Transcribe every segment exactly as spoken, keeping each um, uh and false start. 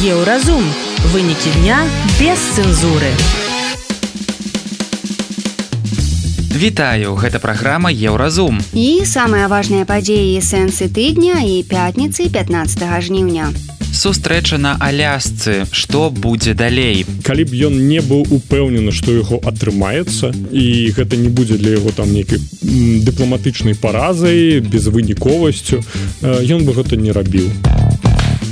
Еўразум. Вынікі дня без цэнзуры. Вітаю, гэта праграма Еўразум. І самыя важныя падзеі і сэнсы тыдня і пятніцы пятнаццатага жніўня. Сустрэча на Алясцы. Што будзе далей? Калі б ён не быў упэўнены, што яго атрымаецца, і гэта не будзе для яго там нейкай дыпламатычнай паразай, безвыніковасцю, ён бы гэта не рабіў.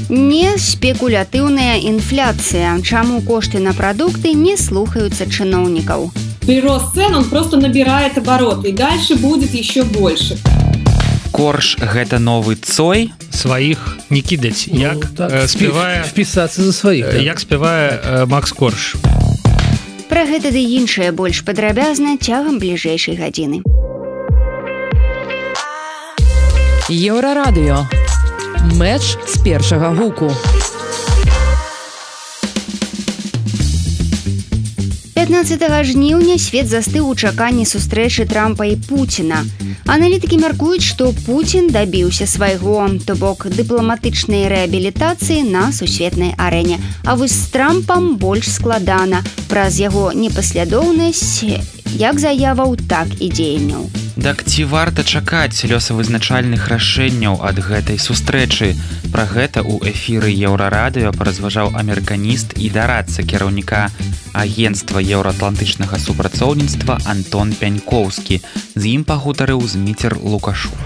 Не спекулятыўная інфляцыя. Чаму кошты на прадукты не слухаюцца чыноўнікаў? Прирост цен, он просто набирает обороты, и дальше будет еще больше. Корж – гэта новы Цой? Сваіх не кідаць. Ну, як так, э, спявае... Впісацца за сваіх. Э, як спявае э, Макс Корж. Пра гэта ды іншае больш падрабязна цягам бліжэйшай гадзіны. Еўрарадыё. Мэч з першага гуку. пятнаццатага жніўня свет застыў у чаканні сустрэчы Трампа і Пуціна. Аналітыкі мяркуюць, што Пуцін дабіўся свайго, то бок дыпламатычнай рэабілітацыі на сусветнай арэне. А вось з Трампам больш складана праз яго непаслядоўнасць як заяваў, так і дзеянняў. Так ці варта чакаць лёсавызначальных рашэнняў ад гэтай сустрэчы? Пра гэта ў эфіры Еўрарадыё паразважаў амерыканіст і дарадца кіраўніка агенцтва еўраатлантычнага супрацоўніцтва Антон Пянькоўскі. З ім пагутарыў Зміцер Лукашук.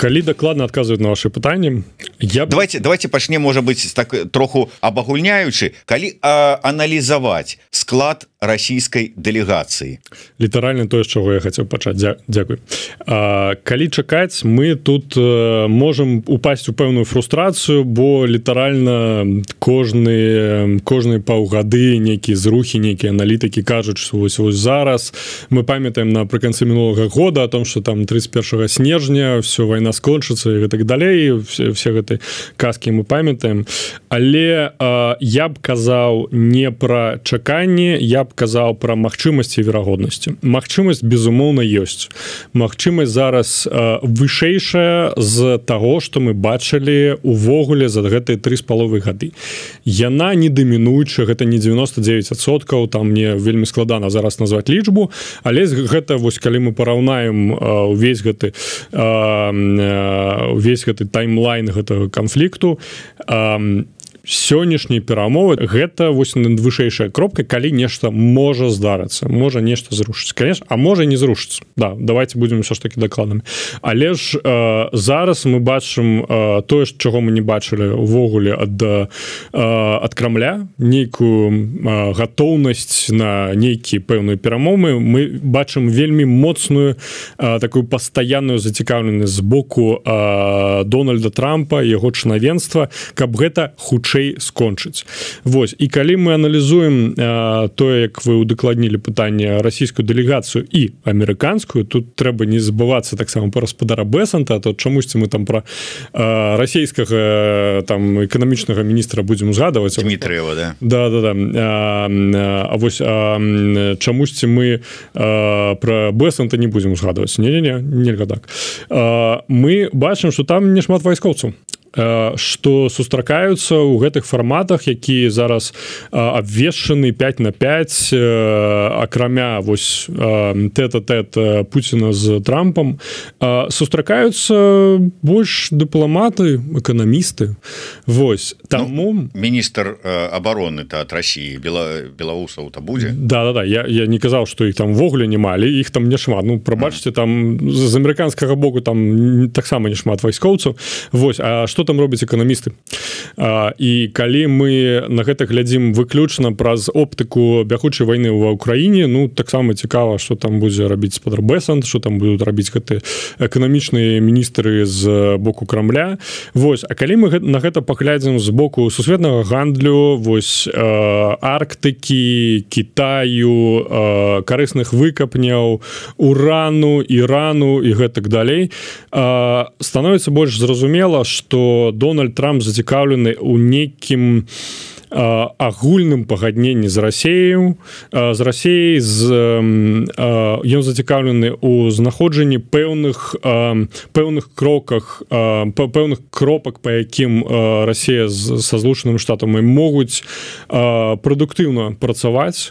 Калі дакладна адказваюць на ваши пытанні, я... давайте давайте пачнем, можа быць, так троху абагульняючы, калі а, аналізаваць склад расійскай дэлегацыі. Літаральна тое, з чаго я хацеў пачаць. Дзя... Дзякуй. А, калі чакаць, мы тут а, можам упасць у пэўную фрустрацыю, бо літаральна кожны кожны паўгады нейкія зрухі, нейкія аналітыкі кажуць, што вось, вось зараз мы памятаем напрыканцы мінулага года о том, што там тридцать первого снежня все, вайна скончыцца і гэтак далей, все, все гэты казкі мы памятаем, але э, я б казаў не пра чаканне, я б казаў пра магчымасці і верагоднасці. Магчымасць, безумоўна, ёсць. Магчымасць зараз э, вышэйшая з таго, што мы бачылі увогуле за гэтыя тры з паловай гады. Яна не дамінуючая, гэта не девяносто девять адсоткаў, там мне вельмі складана зараз назваць лічбу, але гэта вось калі мы параўнаем э, увесь гэты э, увесь гэты таймлайн гэтага канфлікту, сённяшнія перамовы гэта вось вышэйшая кропка, калі нешта можа здарыцца, можа нешта зрушыць, конечно, а можа не зрушыцца. Да, давайте будем ўсё ж таки дакладнымі. Але ж э, зараз мы бачым э, тое, чаго мы не бачылі увогуле ад э, ад Крамля, нейкую э, гатоўнасць на нейкія пэўныя перамовы. Мы бачым вельмі моцную э, такую пастаянную зацікаўленасць з боку э, Дональда Трампа, яго чынавенства, каб гэта хутчэй скончыць. Вось, і калі мы аналізуем э, тое, як вы удакладнілі пытанне расійскую дэлегацыю і амерыканскую, тут трэба не забывацца таксама пра гаспадара Бэсанта, то чамусьці мы там пра э, расійскага там эканамічнага міністра будзем узгадаваць. Дмітрыева, да? Да, да, да. А, а вось а, чамусьці мы а, пра Бэсанта не будзем узгадаваць. Не-не-не, нельга так. А, мы бачым, што там не шмат вайскоўцаў, што сустракаюцца ў гэтых фарматах, якія зараз абвешчаны пять на пять, акрамя вось тэт-а-тэт Пуціна з Трампам, сустракаюцца больш дыпламаты, эканамісты. Вось, таму... Ну, міністр абароны ад Расіі, Бела... беларусаў-то будзе? Да-да-да, я, я не казаў, што іх там вогуле нема, але іх там не шмат. Ну, прабачце, там з амерыканскага боку там таксама не шмат вайскоўцаў. Вось, а што там робяць эканамісты? А, і калі мы на гэта глядзім выключна праз оптыку бягучай вайны ва ўкраіне, ну, таксама цікава, што там будзе рабіць гаспадар Бэсант, што там будуць рабіць гэты эканамічныя міністры з боку Крамля. Вось, а калі мы на гэта паглядзім з боку сусветнага гандлю, вось, э, Арктыкі, Кітаю, э, карысных выкапняў, урану, Ірану і гэтак далей, э, становіцца больш зразумела, што Дональд Трамп зацікаўлены ў нейкім агульным пагадненні з Расею з Расеяй з ён зацікаўлены у знаходжанні пэўных пэўных кроках пэўных кропак, па якім Расея са Злучанымі Штатамі могуць прадуктыўна працаваць.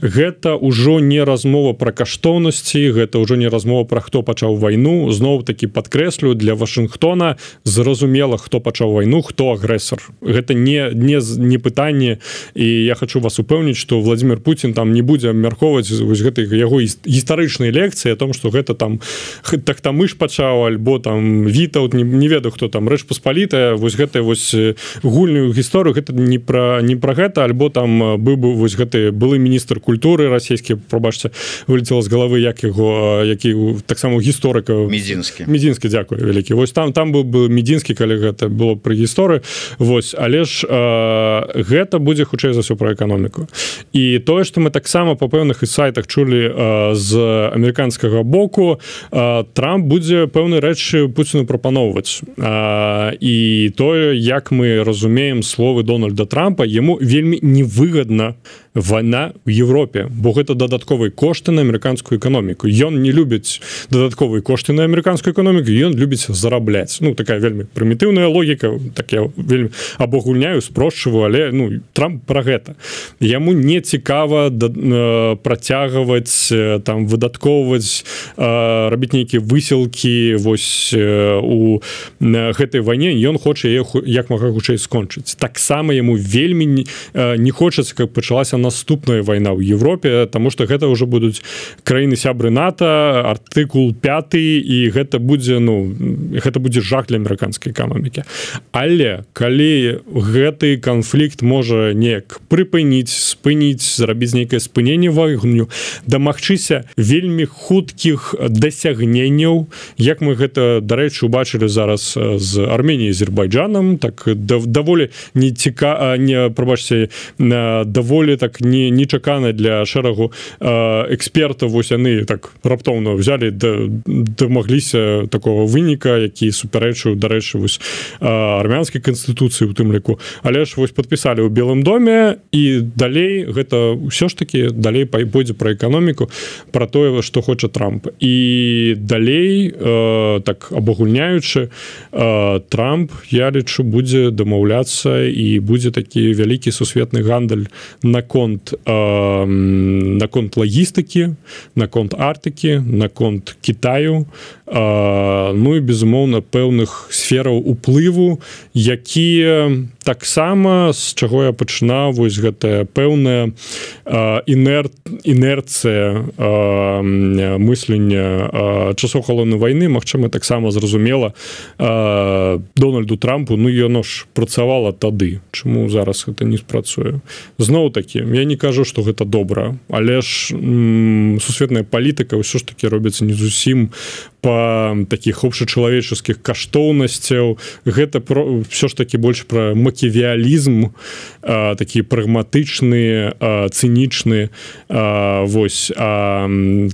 Гэта ўжо не размова пра каштоўнасці, гэта ўжо не размова пра хто пачаў вайну. Зноў такі падкрэслю, для Вашынгтона зразумела, хто пачаў вайну, хто агрэсар. Гэта не, не, не пытанне, і я хочу вас упэўніць, што Владимир Путин там не будзе абмяркоўваць вось гэтай яго гістарычнай лекцыі о том, што гэта там Тахтамыш пачаў, альбо там Вітаўт, не, не ведаю, хто там, Рэч Паспалітая, вось гэтай вось гульную гісторыю, гэта не пра, не пра гэта, альбо там быў бы вось гэты былы міністр культуры расійскі, прабачце, вылетела з галавы, як яго, які таксама гісторыка Медзінскі. Медзінскі, дзякую вялікі. Вось там там быў бы Медзінскі, калі гэта было пры гісторыі. Вось, але ж э, гэта будзе хутчэй за ўсё пра эканоміку. І тое, што мы таксама па пэўных сайтах чулі э, з амерыканскага боку, э, Трамп будзе пэўныя рэчы Пуціну прапаноўваць. Э, і тое, як мы разумеем словы Дональда Трампа, яму вельмі невыгадна вайна ў Европе, бо гэта дадатковыя кошты на амерыканскую эканоміку. Ён не любіць дадатковыя кошты на амерыканскую эканоміку, ён любіць зарабляць. Ну, такая вельмі прымітыўная логіка, так я вельмі абагульняю, спрошчваю, але ну, Трамп пра гэта. Яму не цікава да, э, працягваць, э, там, выдаткоўваць, э, рабіць нейкія высілкі вось э, у э, гэтай вайне. Ён хоча яе як мага хутчэй скончыць. Таксама яму вельмі не, э, не хочацца, каб пачалася наступная вайна ў Европе, таму што гэта ўжо будуць краіны сябры НАТО, артыкул пяты, і гэта будзе, ну, гэта будзе жах для амерыканскай эканомікі. Але калі гэты канфлікт можа неяк прыпыніць, спыніць, зрабіць нейкае спыненне вайну, дамагчыся вельмі хуткіх дасягненняў, як мы гэта, дарэчы, убачылі зараз з Арменіяй і Азербайджанам, так даволі не ціка, не, прабачце, даволі так не нечакана для шэрагу э, экспертаў, вось яны так раптоўна взяли, дамагліся такого выніка, які супярэчыў, дарэчы, вось э, армянскай канстытуцыі у тым ліку. Але ж вось падпісалі ў Белым доме, і далей гэта ўсё ж такі далей пойдзе пра эканоміку, пра тое, што хоча Трамп. І далей э, так абагульняючы, э, Трамп, я лічу, будзе дамаўляцца, і будзе такі вялікі сусветны гандаль наконт э, наконт лагістыкі, наконт Арктыкі, наконт Кітаю, э, ну і безумоўна пэўных сфераў уплыву, якія таксама, з чаго я пачынаў, вось гэтая пэўная э, інер, інерцыя э, мыслення э, часоў халоднай вайны, магчыма, таксама зразумела э, Дональду Трампу, ну яно ж працавала тады, чаму зараз гэта не спрацуе. Зноў такі, я не кажу, што гэта добра, але ж м, сусветная палітыка ўсё ж такі робіцца не зусім па такіх общачалавеческіх каштоўнасцяў. Гэта про, ўсё ж такі больш пра маківіялізм, а, такі прагматычны, а, цынічны, а, вось, а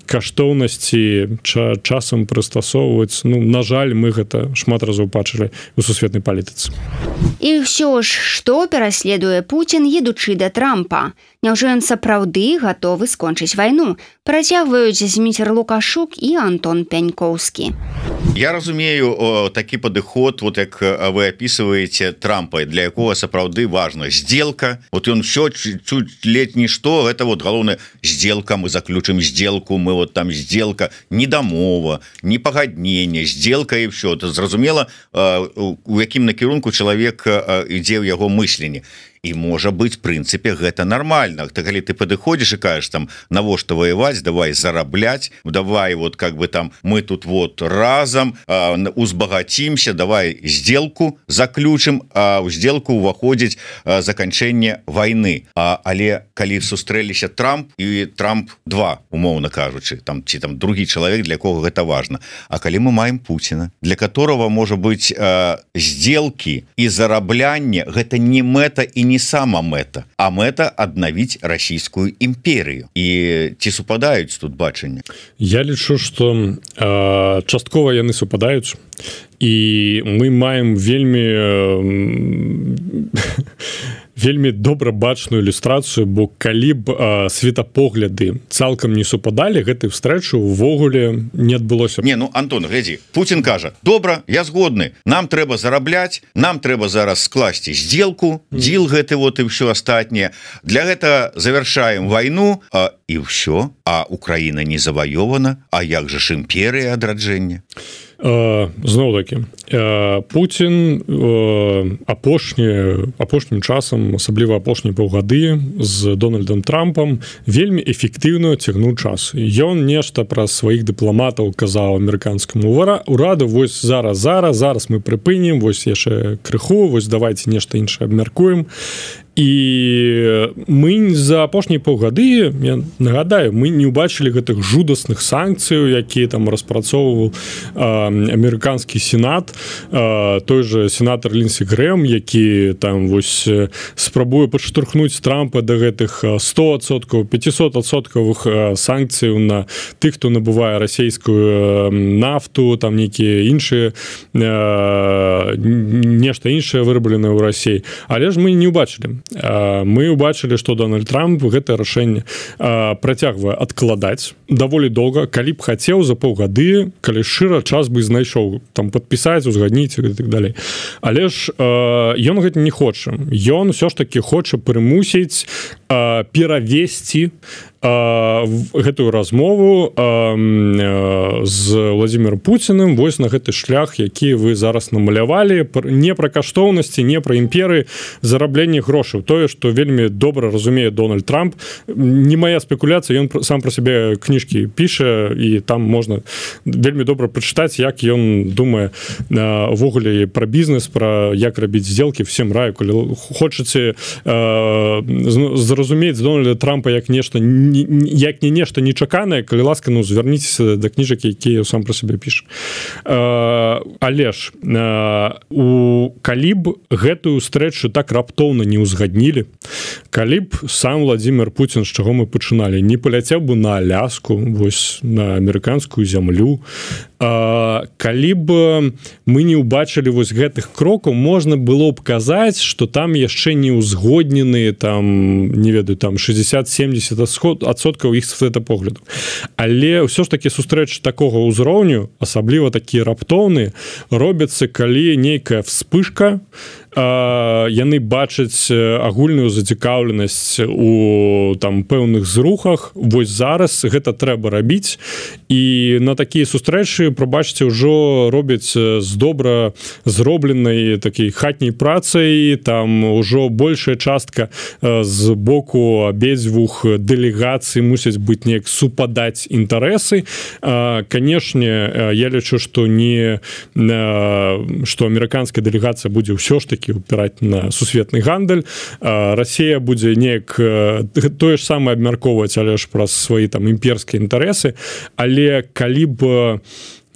каштоўнасці ча, часам прыстасоўваць. Ну, на жаль, мы гэта шмат разоў бачылі у сусветнай палітыцы. І ўсё ж, што пераследуе Пуцін, едучы да Трампа? Няўжо ён сапраўды гатовы скончыць вайну? Працягваюць Зміцер Лукашук і Антон Пянькоўскі. Я разумею о, такі падыход, вот як вы описываете Трампа, для якога сапраўды важна сделка. Вот ён все чуть ледь нішто, гэта вот галоўная сделка, мы заключым сделку, мы вот там сделка, не дамова, не пагадненне, сделка і все. Это зразумела, у якім накірунку чалавек ідзе ў яго мысленні. І можа быць, прынцыпе, гэта нармальна. Ты, калі ты падыходзіш і кажаш там, навошта ваяваць, давай зарабляць, давай вот как бы там мы тут вот разам а, узбагацімся, давай сделку заключым, а ў сделку ўваходзіць заканчэнне вайны. А, але калі сустрэліся Трамп і Трамп два, умоўна кажучы, там ці там другі чалавек, для кого гэта важна. А калі мы маем Пуціна, для которого можа быць а, сделкі і зараблянне, гэта не мэта і не сама мэта, а мэта аднавіць расійскую імперыю. І ці супадаюць тут бачанне? Я лічу, што э, часткова яны супадаюць, і мы маем вельмі э, вельмі добра бачную ілюстрацыю, бо калі б а, светапогляды цалкам не супадалі, гэтай встречы увогуле не адбылося. Не, ну Антон, глядзі, Путин кажа: добра, я згодны, нам трэба зарабляць, нам трэба зараз скласці сделку, дзіл гэты вот і ўсё астатняе. Для гэта завяршаем вайну, а, і ўсё, а Украіна не заваёвана, а як жа ж імперыя адраджэння? Зноў такі Путін апошні апошнім часам, асабліва апошнія паўгады з Дональдом Трампам вельмі эфектыўна цягнуў час. Ён нешта праз сваіх дыпламатаў казаў амерыканскаму ураду: вось зараз зараз зараз мы прыпынім, вось яшчэ крыху, вось давайте нешта іншае абмяркуем. І мы за апошнія паўгады, я нагадаю, мы не ўбачылі гэтых жудасных санкцыяў, якія там распрацоўваў амерыканскі сенат, той же сенатор Лінсі Грэм, які там вось спрабуе падштурхнуць Трампа да гэтых сто адсоткаў, пятьсот адсоткавых санкцыяў на тых, хто набывае расійскую нафту, там нейкія іншыя нешта іншае вырабленае ў Расіі. Але ж мы не ўбачылі. Мы ўбачылі, што Дональд Трамп гэтае рашэнне працягвае адкладаць даволі доўга, калі б хацеў за паўгады, калі шчыра, час бы знайшоў там падпісаць, узгадніць і так далей. Але ж ён гэта не хоча. Ён ўсё ж такі хоча прымусіць перавесці гэтую размову з Владзімірам Пуціным вось на гэты шлях, які вы зараз намалявалі, не пра каштоўнасці, не пра імперыі, зарабленне грошаў. Тое, што вельмі добра разумее Дональд Трамп. Не моя спекуляцыя, ён сам пра сябе кніжкі піша, і там можна вельмі добра прачытаць, як ён думае увогуле пра бізнес, пра як рабіць сделкі. Всем раю, калі хочаце зразумець Дональда Трампа як нешта як не нешта нечаканае, калі ласка, ну звярніцеся да кніжак, якія сам пра сябе піша. Але ж у калі б гэтую стрэчу так раптоўна не ўзгаднілі, калі б сам Владзімір Пуцін, з чаго мы пачыналі, не паляцеў бы на Аляску, вось на амерыканскую зямлю, калі б мы не ўбачылі вось гэтых крокаў, можна было б казаць, што там яшчэ не ўзгодненыя там, не ведаю, там шестьдесят-семьдесят адсоткаў іх светапогляду. Але ўсё ж такі сустрэчы такога ўзроўню, асабліва такія раптоўныя, робяцца, калі нейкая вспышка, яны бачаць агульную зацікаўленасць у там пэўных зрухах. Вось зараз гэта трэба рабіць, і на такія сустрэчы, прабачце, ўжо робяць з добра зробленай такой хатняй працай. Там ужо большая частка з боку абедзвюх дэлегацый мусяць быць неяк супадаць інтарэсы. Канешне, я лічу, што не што амерыканская дэлегацыя будзе ўсё ж такі упирать на сусветны гандаль. Россия будзе неяк тое ж самае абмяркоўваць, але ж праз свае там імперскія інтарэсы. Але калі б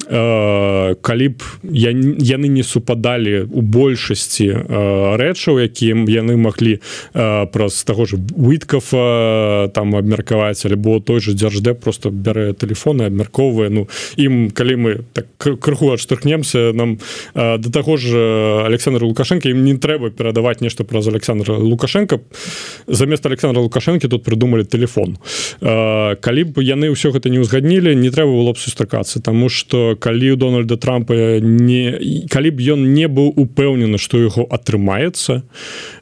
калі б яны не супадалі у большасці рэчаў, якія яны маглі праз таго ж Уіткафа там абмеркаваць, альбо той же Дзярждэп просто бярэ тэлефон і абмяркоўвае. Ну, ім, калі мы так крыху адштурхнемся, нам да таго ж Александра Лукашенко, ім не трэба перадаваць нешта праз Александра Лукашенко. Замест Александра Лукашенко тут прыдумалі тэлефон. Калі б яны ўсё гэта не ўзгаднілі, не трэба было б сустракацца, таму што калі у Дональда Трампа не, калі б ён не быў упэўнены, што яго атрымаецца,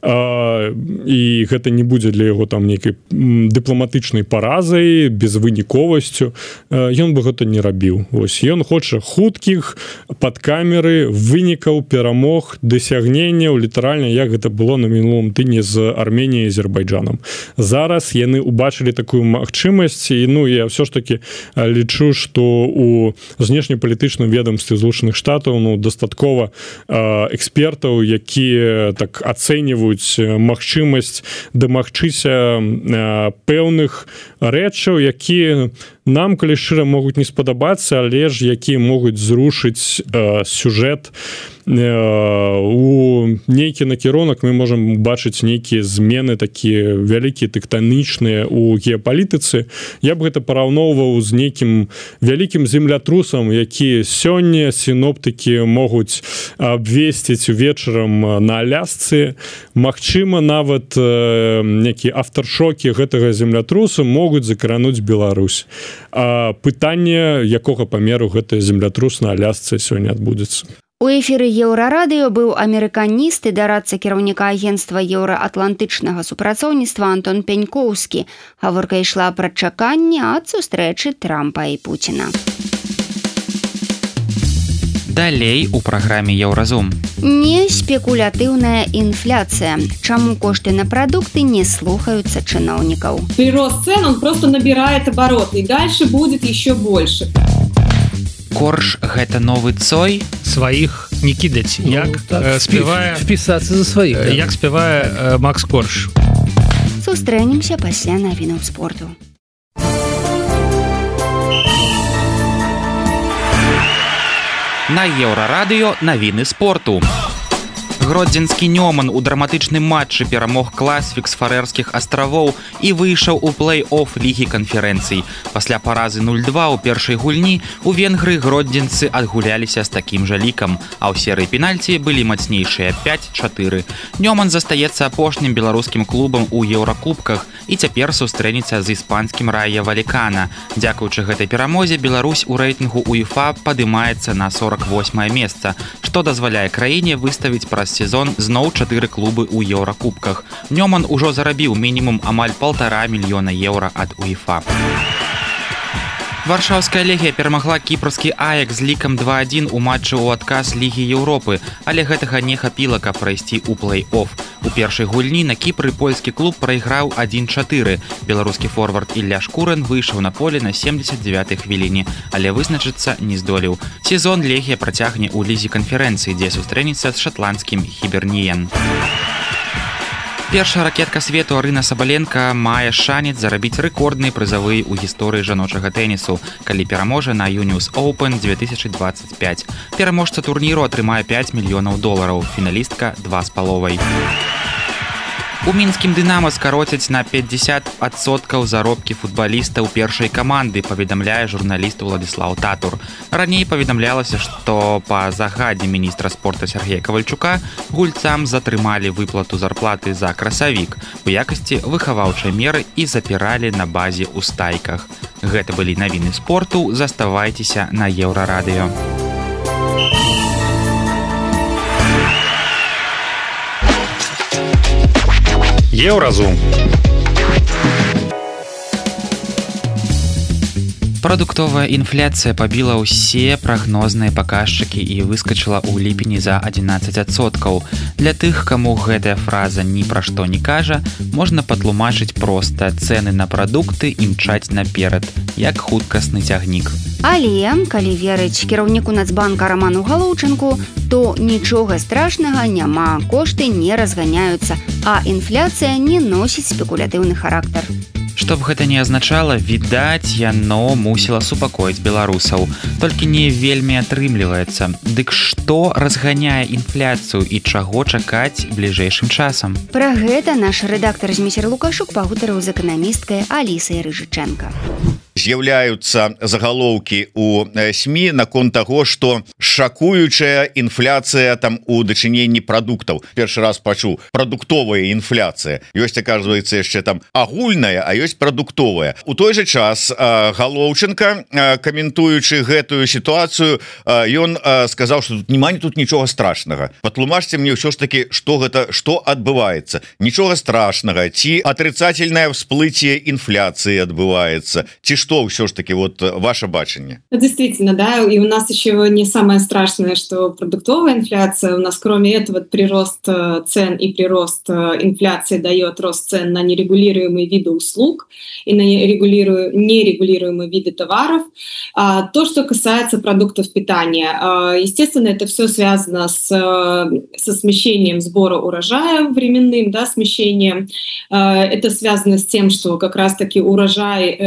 і гэта не будзе для яго там нейкай дыпламатычнай паразай, безвыніковасцю, ён бы гэта не рабіў. Вось ён хоча хуткіх, пад камеры, вынікаў, перамог, дасягненняў, літаральна, як гэта было на мінулым тыдні з Арменіяй і Азербайджанам. Зараз яны ўбачылі такую магчымасць, і ну я ўсё ж такі лічу, што у знешнепалітычным ведомстве Злучаных Штатаў ну дастаткова экспертаў, якія так ацэньваюць магчымасць дамагчыся пэўных рэчаў, якія нам, калі шчыра, могуць не спадабацца, але ж якія могуць зрушыць э, сюжэт у нейкі накірунак. Мы можам бачыць нейкія змены такія вялікія тэктанічныя у геапалітыцы. Я б гэта параўноўваў з нейкім вялікім землятрусам, які сёння сіноптыкі могуць абвесціць увечарам на Алясцы. Магчыма, нават нейкія афтаршокі гэтага землятрусу могуць закрануць Беларусь. А пытанне, якога памеру гэты землятрус на Алясцы сёння адбудзецца. У эфіры Еўрарадыё быў амерыканіст і дарадца кіраўніка агенцтва еўраатлантычнага супрацоўніцтва Антон Пянькоўскі. Гаворка ішла пра чаканне ад сустрэчы Трампа і Пуціна. Далей у праграме Еўразум. Не спекулятыўная інфляцыя. Чаму кошты на прадукты не слухаюцца чыноўнікаў? Прирост цен, он просто набирает обороты, и дальше будет еще больше. Корж гэта новы цой? Сваіх не кідаць. Ну, як так, э, спявае впісацца за сваіх, э, да. як спявае э, Макс Корж. Сустрэнемся пасля навінаў спорту. На Еўрарадыё навіны спорту. Гродзенскі Нёман у драматычным матчы перамог Класвік з Фарэрскіх астравоў і выйшаў у плэй-офф лігі канферэнцый. Пасля паразы нуль два ў першай гульні у Венгрыі гродзенцы адгуляліся з такім жа лікам, а ў серыі пенальці былі мацнейшыя пяць чатыры. Нёман застаецца апошнім беларускім клубам у еўракубках і цяпер сустрэнецца з іспанскім Рая Валікана. Дзякуючы гэтай перамозе Беларусь у рэйтынгу УЕФА падымаецца на сорак восьмае месца, што дазваляе краіне выставіць праз сезон зноў чатыры клубы ў еўракубках. Нёман ужо зарабіў мінімум амаль паўтара мільёна еўра ад УЕФА. Варшаўская легія перамагла кіпрскі Аякс з лікам два адзін у матчы ў адказ Лігі Еўропы, але гэтага не хапіла, каб прайсці ў плэй-офф. У першай гульні на Кіпры польскі клуб прайграў адзін чатыры. Беларускі форвард Ілля Шкурын выйшаў на поле на семдзесят дзевятай хвіліне, але вызначыцца не здолеў. Сезон легія працягне ў лізе канферэнцыі, дзе сустрэнецца з шатландскім Хіберніен. Першая ракетка свету Арына Сабаленка мае шанец зарабіць рэкордныя прызавыя ў гісторыі жаночага тэнісу, калі пераможа на Юніус Оупен две тысячи двадцать пять. Пераможца турніру атрымае пяць мільёнаў долараў, фіналістка два з паловай. У мінскім «Дынама» скароцяць на пятьдесят адсоткаў заробкі футбалістаў першай каманды, паведамляе журналіст Уладзіслаў Татур. Раней паведамлялася, што па загадзе міністра спорта Сергея Кавальчука гульцам затрымалі выплату зарплаты за красавік у якасці выхаваўчай меры і запіралі на базе ў стайках. Гэта былі навіны спорту. Заставайцеся на Еўрарадыё. Еўразум. Прадуктовая інфляцыя пабіла ўсе прагнозныя паказчыкі і выскачыла ў ліпені за адзінаццаць адсоткаў. Для тых, каму гэтая фраза ні пра што не кажа, можна патлумачыць проста: цэны на прадукты імчаць наперад, як хуткасны цягнік. Але, калі верыць кіраўніку Нацбанка Раману Галоўчынку, то нічога страшнага няма, кошты не разганяюцца, а інфляцыя не носіць спекулятыўны характар. Што б гэта не азначала, відаць, яно мусіла супакоіць беларусаў. Толькі не вельмі атрымліваецца. Дык што разганяе інфляцыю і чаго чакаць бліжэйшым часам? Пра гэта наш рэдактар Зміцер Лукашук пагутарыў з эканамісткай Алісай Рыжыченка. З'яўляюцца загалоўкі ў СМІ наконт таго, што шакуючая інфляцыя там у дачыненні прадуктаў. Першы раз пачуў прадуктовая інфляцыя. Ёсць, аказваецца, яшчэ там агульная, а ёсць прадуктовая. У той жа час Галоўчынка, каментуючы гэтую сітуацыю, ён сказаў, што тут няма тут нічога страшнага. Патлумачце мне ўсё ж такі, што гэта, што адбываецца. Нічога страшнага, ці атрыцательнае всплыцце інфляцыі адбываецца, ці што что ўсё ж таки вот ваше бачанне? Действительно, да, и у нас еще не самое страшное, что продуктовая инфляция. У нас кроме этого прирост цен и прирост инфляции дает рост цен на нерегулируемые виды услуг и на нерегулируемые виды товаров. А то, что касается продуктов питания, естественно, это все связано с, со смещением сбора урожая временным, да, смещением. Это связано с тем, что как раз-таки урожай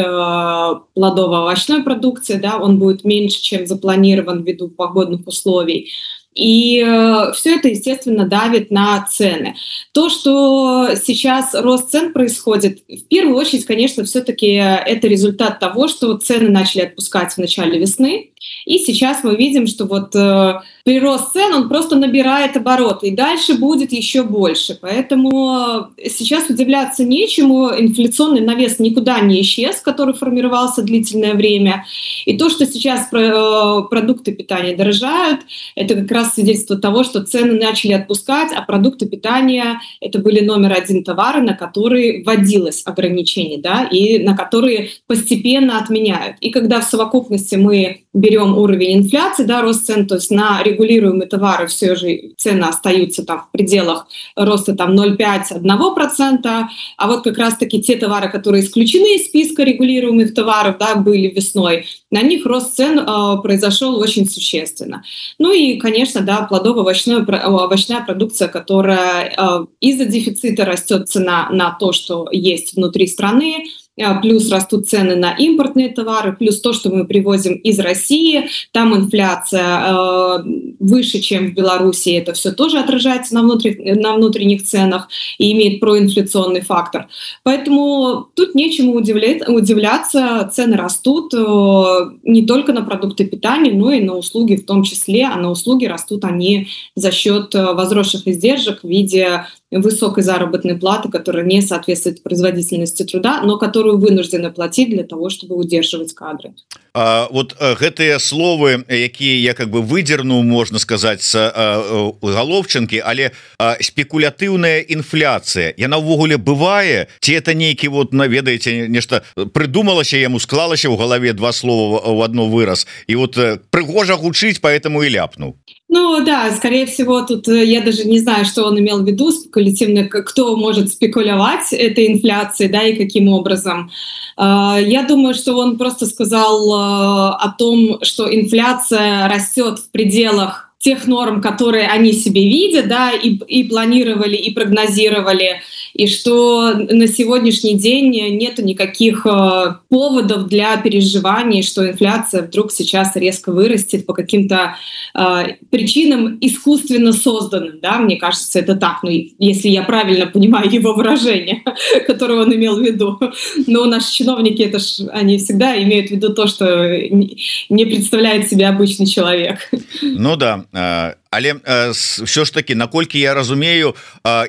плодово-овощной продукции, да, он будет меньше, чем запланирован ввиду погодных условий. И э, все это, естественно, давит на цены. То, что сейчас рост цен происходит, в первую очередь, конечно, все-таки это результат того, что цены начали отпускать в начале весны. И сейчас мы видим, что вот э, прирост цен, он просто набирает обороты, и дальше будет еще больше. Поэтому сейчас удивляться нечему. Инфляционный навес никуда не исчез, который формировался длительное время. И то, что сейчас про, э, продукты питания дорожают, это как раз свидетельство того, что цены начали отпускать, а продукты питания — это были номер один товары, на которые вводилось ограничение, да, и на которые постепенно отменяют. И когда в совокупности мы берем уровень инфляции, да, рост цен, то есть на регулируемые товары все же цены остаются там в пределах роста там ноль целых пять десятых - одного процента, а вот как раз-таки те товары, которые исключены из списка регулируемых товаров, да, были весной, на них рост цен э, произошел очень существенно. Ну и, конечно, да, плодово-овощная овощная продукция, которая э, из-за дефицита растет цена на то, что есть внутри страны, плюс растут цены на импортные товары, плюс то, что мы привозим из России, там инфляция э, выше, чем в Беларуси, это все тоже отражается на, внутри, на внутренних ценах и имеет проинфляционный фактор. Поэтому тут нечему удивлять, удивляться, цены растут э, не только на продукты питания, но и на услуги в том числе, а на услуги растут они за счет возросших издержек в виде высокой заработной платы, которая не соответствует производительности труда, но которую вынуждены платить для того, чтобы удерживать кадры. А, вот гэтыя словы, якія я как бы выдернуў, можна сказаць, з галоўчынкі, але а, спекулятыўная інфляцыя, яна ўвогуле бывае, ці это нейкі вот, наведаеце, нешта прыдумалася яму, склалася ў галаве два слова ў адно выраз, і вот прыгожа гучыць, поэтому и ляпнуў. Ну да, скорее всего, тут я даже не знаю, что он имел в виду спекулятивно, кто может спекулировать этой инфляцией, да, и каким образом. Я думаю, что он просто сказал о том, что инфляция растет в пределах тех норм, которые они себе видят, да, и, и планировали, и прогнозировали, и что на сегодняшний день нет никаких э, поводов для переживаний, что инфляция вдруг сейчас резко вырастет по каким-то э, причинам искусственно созданным, да, мне кажется, это так, ну, если я правильно понимаю его выражение, которое он имел в виду. Но наши чиновники, это ж, они всегда имеют в виду то, что не представляет себя обычный человек. Ну да, але все ж таки, наколькі я разумею,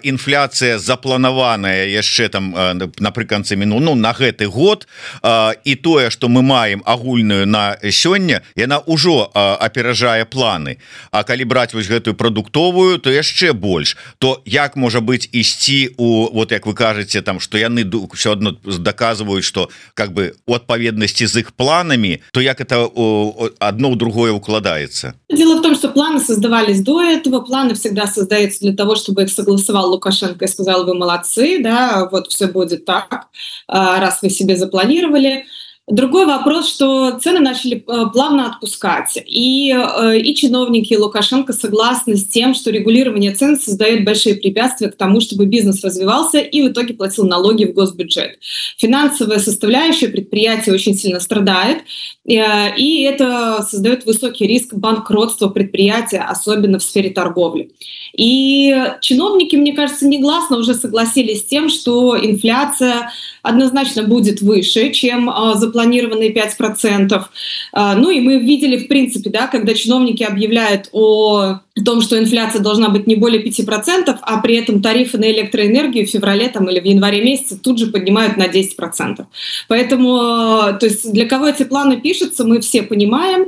інфляцыя запланаваная яшчэ там напрыканцы міну, ну, на гэты год, і тое, што мы маем агульную на сёння, яна ўжо аперажае планы. А калі браць вось гэтую прадуктовую, то яшчэ больш. То як можа быць ісці у, вот як вы кажаце, там, што яны все одно даказваюць, што как бы у адпаведнасці з іх планамі, то як это одно ў другое укладаецца? Дело в том, что планы создавались до этого, планы всегда создаются для того, чтобы их согласовал Лукашенко и сказал: вы молодцы, да, вот все будет так, раз вы себе запланировали. Другой вопрос, что цены начали плавно отпускать, и, и чиновники Лукашенко согласны с тем, что регулирование цен создает большие препятствия к тому, чтобы бизнес развивался и в итоге платил налоги в госбюджет. Финансовая составляющая предприятия очень сильно страдает, и это создает высокий риск банкротства предприятия, особенно в сфере торговли. И чиновники, мне кажется, негласно уже согласились с тем, что инфляция однозначно будет выше, чем запланированные пять процентов. Ну и мы видели, в принципе, да, когда чиновники объявляют о о том, что инфляция должна быть не более пяти процентов, а при этом тарифы на электроэнергию в феврале там, или в январе месяце тут же поднимают на десять процентов. Поэтому, то есть для кого эти планы пишутся, мы все понимаем.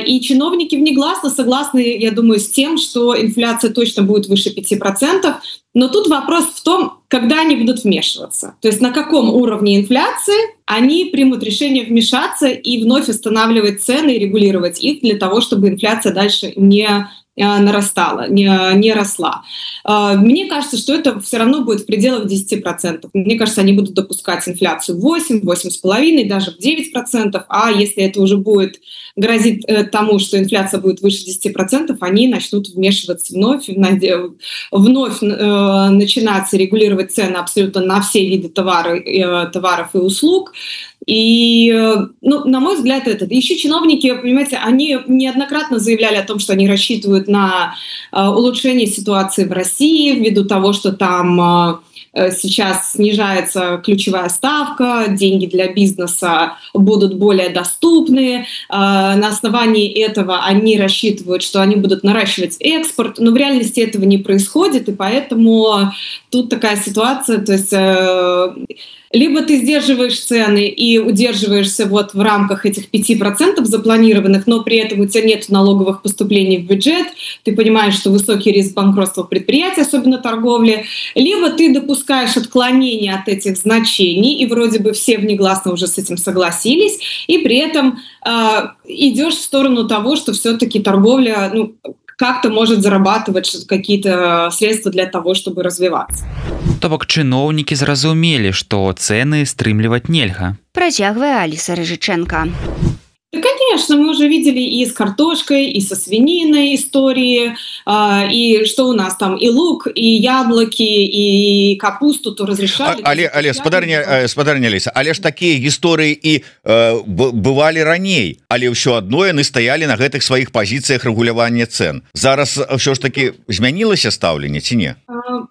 И чиновники внегласно согласны, я думаю, с тем, что инфляция точно будет выше пяти процентов. Но тут вопрос в том, когда они будут вмешиваться. То есть на каком уровне инфляции они примут решение вмешаться и вновь устанавливать цены и регулировать их для того, чтобы инфляция дальше не нарастала, не, не росла. Мне кажется, что это все равно будет в пределах десяти процентов. Мне кажется, они будут допускать инфляцию в восемь, восемь с половиной, даже в девять процентов. А если это уже будет грозит тому, что инфляция будет выше десяти процентов, они начнут вмешиваться вновь, вновь начинать регулировать цены абсолютно на все виды товаров, товаров и услуг. И, ну, на мой взгляд, это. Еще чиновники, понимаете, они неоднократно заявляли о том, что они рассчитывают на э, улучшение ситуации в России ввиду того, что там э, сейчас снижается ключевая ставка, деньги для бизнеса будут более доступны. Э, на основании этого они рассчитывают, что они будут наращивать экспорт, но в реальности этого не происходит, и поэтому тут такая ситуация, то есть... Э, либо ты сдерживаешь цены и удерживаешься вот в рамках этих пяти процентов запланированных, но при этом у тебя нет налоговых поступлений в бюджет, ты понимаешь, что высокий риск банкротства предприятий, особенно торговли, либо ты допускаешь отклонения от этих значений, и вроде бы все внегласно уже с этим согласились, и при этом э, идешь в сторону того, что все-таки торговля... Ну, как-то может зарабатывать какие-то средства для того, чтобы развиваться. То бок чыноўнікі зразумелі, што цэны стрымліваць нельга. Працягвае Аліса Рыжыченко. Да, конечно, мы уже видели и с картошкой, и со свининой истории, э, и что у нас там, и лук, и яблоки, и капусту то разрешали. А, але, але спадарня, спадарня Аліса, але ж такія гісторыі і э, бывалі раней, але ўсё адно яны стаялі на гэтых сваіх пазіцыях рэгулявання цен. Зараз ўсё ж таки змянілася стаўленне ці не?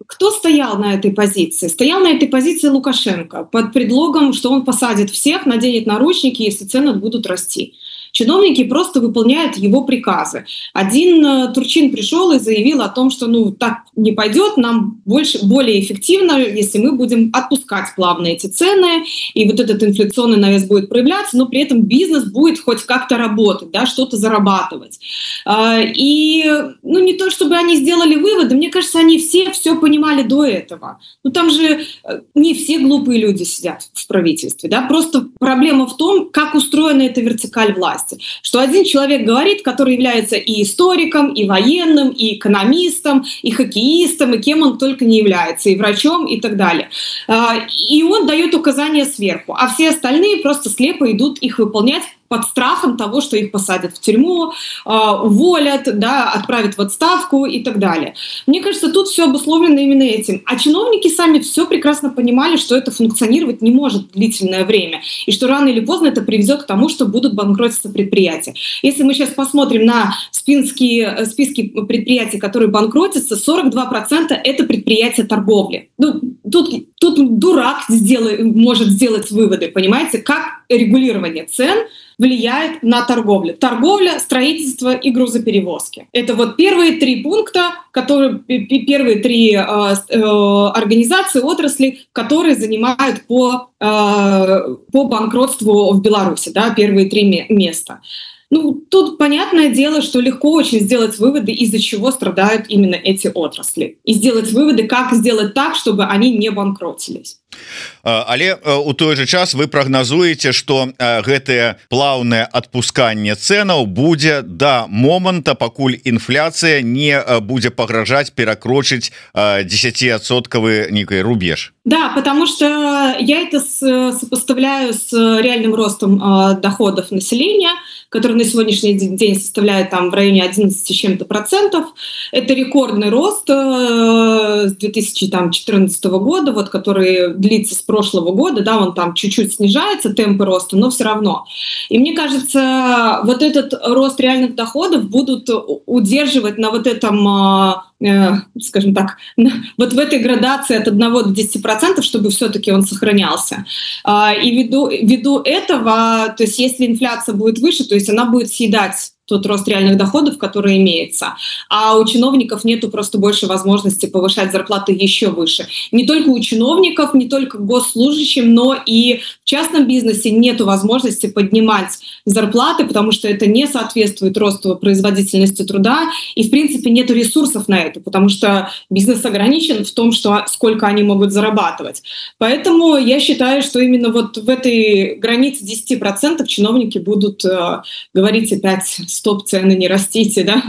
Кто стоял на этой позиции? Стоял на этой позиции Лукашенко под предлогом, что он посадит всех, наденет наручники, если цены будут расти. Чиновники просто выполняют его приказы. Один э, Турчин пришел и заявил о том, что ну так не пойдет, нам больше, более эффективно, если мы будем отпускать плавно эти цены, и вот этот инфляционный навес будет проявляться, но при этом бизнес будет хоть как-то работать, да, что-то зарабатывать. Э, и ну не то, чтобы они сделали выводы, мне кажется, они все все понимали до этого. Ну там же не все глупые люди сидят в правительстве, да, просто проблема в том, как устроена эта вертикаль власти. Что один человек говорит, который является и историком, и военным, и экономистом, и хоккеистом, и кем он только не является, и врачом, и так далее. И он дает указания сверху, а все остальные просто слепо идут их выполнять под страхом того, что их посадят в тюрьму, уволят, да, отправят в отставку и так далее. Мне кажется, тут все обусловлено именно этим. А чиновники сами все прекрасно понимали, что это функционировать не может длительное время, и что рано или поздно это приведет к тому, что будут банкротиться предприятия. Если мы сейчас посмотрим на списки, списки предприятий, которые банкротятся, сорок два процента это предприятия торговли. Ну, тут, тут дурак сделай, может сделать выводы, понимаете, как регулирование цен влияет на торговлю. Торговля, строительство и грузоперевозки. Это вот первые три пункта, которые, первые три э, э, организации, отрасли, которые занимают по, э, по банкротству в Беларуси, да, первые три места. Ну, тут понятное дело, что легко очень сделать выводы, из-за чего страдают именно эти отрасли. И сделать выводы, как сделать так, чтобы они не банкротились. Але у той же час вы прагназуеце, што гэтае плаўнае адпусканне цэнаў будзе да моманта, пакуль інфляцыя не будзе пагражаць перакрочыць десятиадсоткавы некий рубеж. Да, потому что я это сопоставляю с реальным ростом доходов населения, который на сегодняшний день составляет там в районе одиннадцати с чем-то процентов. Это рекордный рост с две тысячи четырнадцатого года, вот, который длится с прошлого года, да, он там чуть-чуть снижается, темпы роста, но все равно. И мне кажется, вот этот рост реальных доходов будут удерживать на вот этом, э, скажем так, на, вот в этой градации от одного до десяти процентов, чтобы все-таки он сохранялся. И ввиду, ввиду этого, то есть если инфляция будет выше, то есть она будет съедать тот рост реальных доходов, который имеется. А у чиновников нету просто больше возможности повышать зарплаты еще выше. Не только у чиновников, не только госслужащим, но и в частном бизнесе нету возможности поднимать зарплаты, потому что это не соответствует росту производительности труда, и, в принципе, нету ресурсов на это, потому что бизнес ограничен в том, что, сколько они могут зарабатывать. Поэтому я считаю, что именно вот в этой границе десять процентов чиновники будут э, говорить опять: стоп, цены не растите, да,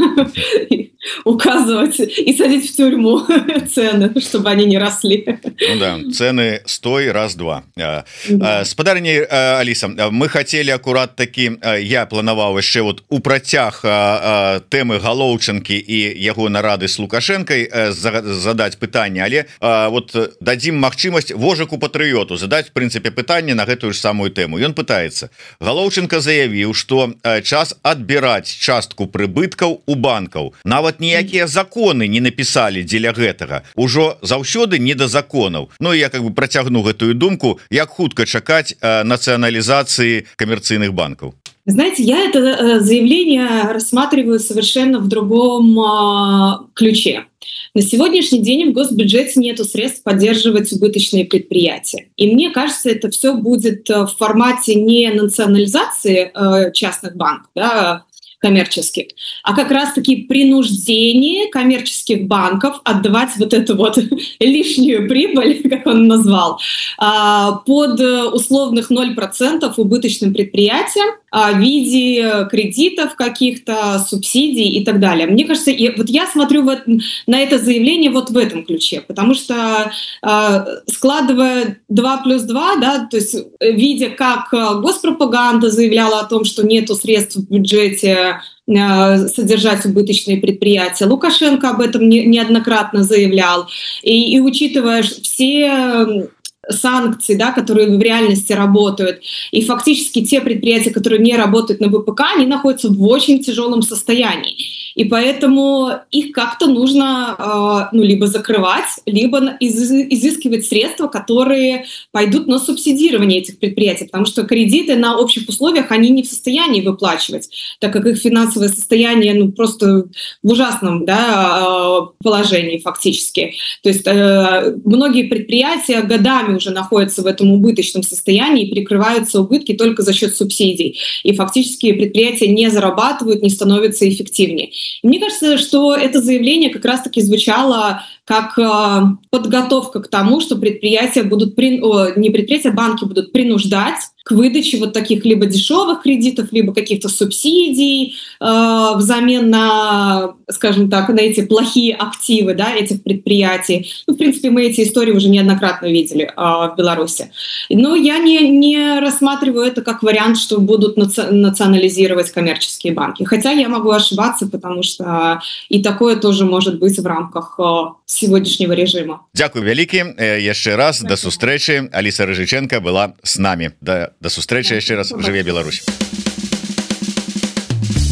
указывать и садить в тюрьму цены, чтобы они не росли. Ну да, цены стой, раз-два. Да. Спадарыня Алиса, мы хотели аккурат таки, я планаваў яшчэ вот у працяг тэмы Галоўчынкі і яго нарады с Лукашенкой задать пытанне, але вот дадзім магчымасць Вожыку патрыёту задать в прынцыпе пытанне на гэтую ж самую тэму. Ён пытаецца: Галоўчынка заявіў, што час адбіраць частку прыбыткаў у банкаў. Нават ніякія законы не напісалі дзеля гэтага. Ужо заўсёды не да законаў. Ну я как бы працягну гэтую думку, як хутка чакаць нацыяналізацыі камерцыйных банкаў. Знаете, я это заявление рассматриваю совершенно в другом ключе. На сегодняшний день в госбюджете нету средств поддерживать убыточные предприятия. И мне кажется, это все будет в формате не национализации частных банков, да, коммерческих, а как раз-таки принуждение коммерческих банков отдавать вот эту вот лишнюю прибыль, как он назвал, под условных ноль процентов убыточным предприятиям в виде кредитов каких-то, субсидий и так далее. Мне кажется, вот я смотрю вот на это заявление вот в этом ключе, потому что складывая два плюс два, да, то есть видя, как госпропаганда заявляла о том, что нету средств в бюджете содержать убыточные предприятия. Лукашенко об этом не, неоднократно заявлял. И, и учитывая все санкции, да, которые в реальности работают, и фактически те предприятия, которые не работают на ВПК, они находятся в очень тяжелом состоянии. И поэтому их как-то нужно ну, либо закрывать, либо изыскивать средства, которые пойдут на субсидирование этих предприятий, потому что кредиты на общих условиях они не в состоянии выплачивать, так как их финансовое состояние ну, просто в ужасном да, положении фактически. То есть многие предприятия годами уже находятся в этом убыточном состоянии и перекрываются убытки только за счет субсидий. И фактически предприятия не зарабатывают, не становятся эффективнее. И мне кажется, что это заявление как раз-таки звучало как э, подготовка к тому, что предприятия будут, при... О, не предприятия, банки будут принуждать к выдаче вот таких либо дешевых кредитов, либо каких-то субсидий э, взамен на, скажем так, на эти плохие активы да, этих предприятий. Ну, в принципе, мы эти истории уже неоднократно видели э, в Беларуси. Но я не, не рассматриваю это как вариант, что будут наци... национализировать коммерческие банки. Хотя я могу ошибаться, потому что и такое тоже может быть в рамках э, сегодняшнего режима. Дякую вялікі. Яшчэ раз да сустрэчы. Аліса Рыжыченко была с нами. Да, да сустрэчы яшчэ раз. Жыве Беларусь.